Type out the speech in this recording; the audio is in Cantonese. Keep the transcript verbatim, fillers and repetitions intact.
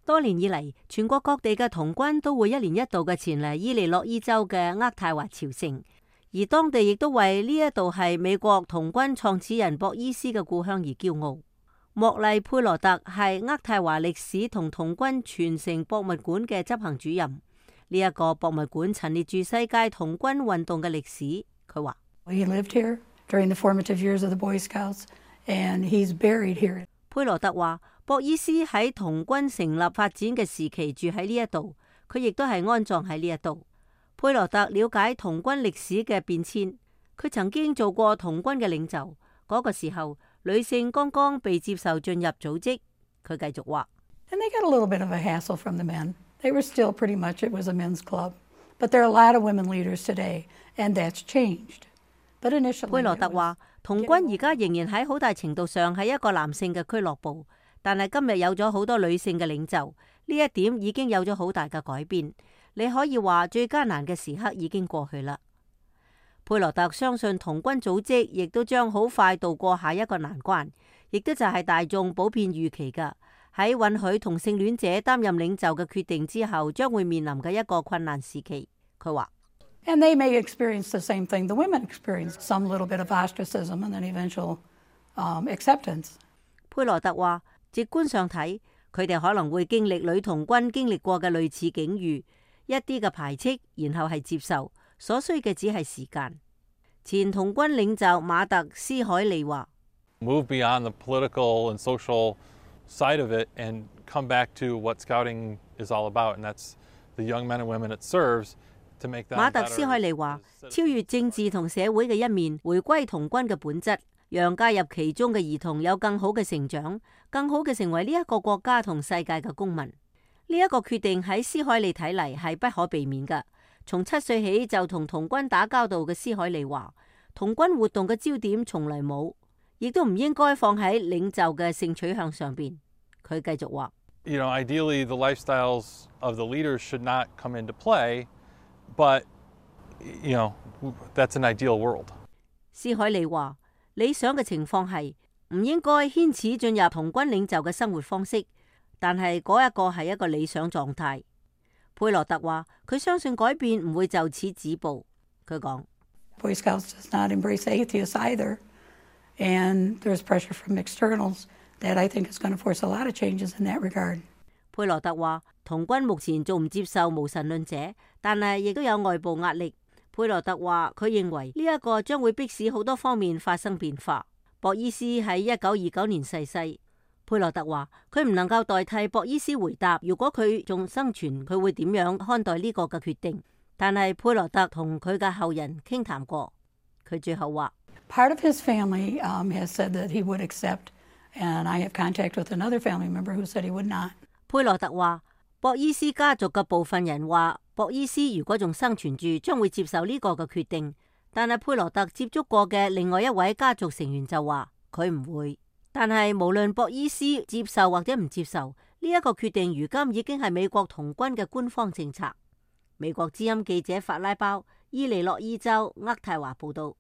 多年以嚟，全國各地嘅童軍都會一年一度嘅前嚟伊利諾伊州嘅渥太華朝聖，而當地亦都為呢一度係美國童軍創始人博伊斯嘅故鄉而驕傲。莫麗佩羅特係渥太華歷史同童軍傳承博物館嘅執行主任。呢、這、一個博物館陳列住世界童軍運動嘅歷史。佢話：He lived here during the formative years of the Boy Scouts, and he's buried here. 佩羅特話：博伊斯喺童軍成立發展嘅時期住喺呢一度，佢亦都係安葬喺呢一度。佩羅特了解童軍歷史嘅變遷，佢曾經做過童軍嘅領袖。嗰、那個時候，女性剛剛被接受進入組織。佢繼續話：And they got a little bit of a hassle from the men. They were still pretty much it was a men's club, but there are a lot of women leaders today, and that's changed. But initially, 佩羅特話：童軍而家仍然喺好大程度上係一個男性嘅俱樂部，但係今日有咗好多女性嘅領袖，呢一點已經有咗好大嘅改變。你可以話最艱難嘅時刻已經過去啦。佩羅特相信童軍組織亦都將好快渡過下一個難關，亦都就係大眾普遍預期嘅喺允許同性戀者擔任領袖嘅決定之後，將會面臨嘅一個困難時期。佢話。And they may experience the same thing the women experienced, some little bit of ostracism and then eventual um, acceptance. 佩羅特話：直觀上睇，佢哋可能會經歷女童軍經歷過嘅類似境遇，一啲嘅排斥，然後係接受，所需嘅只係時間。前童軍領袖馬特斯海利話：Move beyond the political and social side of it and come back to what scouting is all about, and that's the young men and women it serves. 馬特斯海利話：超越政治同社會嘅一面，回歸童軍嘅本質，讓加入其中嘅兒童有更好嘅成長，更好嘅成為呢一個國家同世界嘅公民。呢、這、一個決定喺斯海利睇嚟係不可避免嘅。從七歲起就同童軍打交道嘅斯海利話：童軍活動嘅焦點從來冇，亦都唔應該放喺領袖嘅性取向上邊。佢繼續話：You know, ideally the lifestyles of the leaders should not come into play. But, you know, that's an ideal world. 斯海利話：理想嘅情況係唔應該牽扯進入童軍領袖嘅生活方式，但係嗰一個係一個理想狀態。佩羅特話：佢相信改變唔會就此止步。佢講 Boy Scouts does not embrace atheists either, and there's pressure from externals that I think is going to force a lot of changes in that regard. 佩羅特話：童軍目前仲唔接受無神論者，但係亦都有外部壓力。佩羅特話：佢認為呢一個將會迫使好多方面發生變化。博伊斯喺一九二九年逝世。佩羅特話：佢唔能夠代替博伊斯回答，如果佢仲生存，佢會點樣看待呢個嘅決定？但係佩羅特同佢嘅後人傾談過，佢最後話：Part of his family um, has said that he would accept, and I have contact with another family member who said he would not. 佩羅特話：博伊斯家族嘅部分人話，博伊斯如果仲生存住，將會接受呢個嘅決定。但係佩羅特接觸過嘅另外一位家族成員就話佢唔會。但係無論博伊斯接受或者唔接受，呢一個決定如今已經係美國童軍嘅官方政策。美國之音記者法拉包，伊利諾伊州渥太華報道。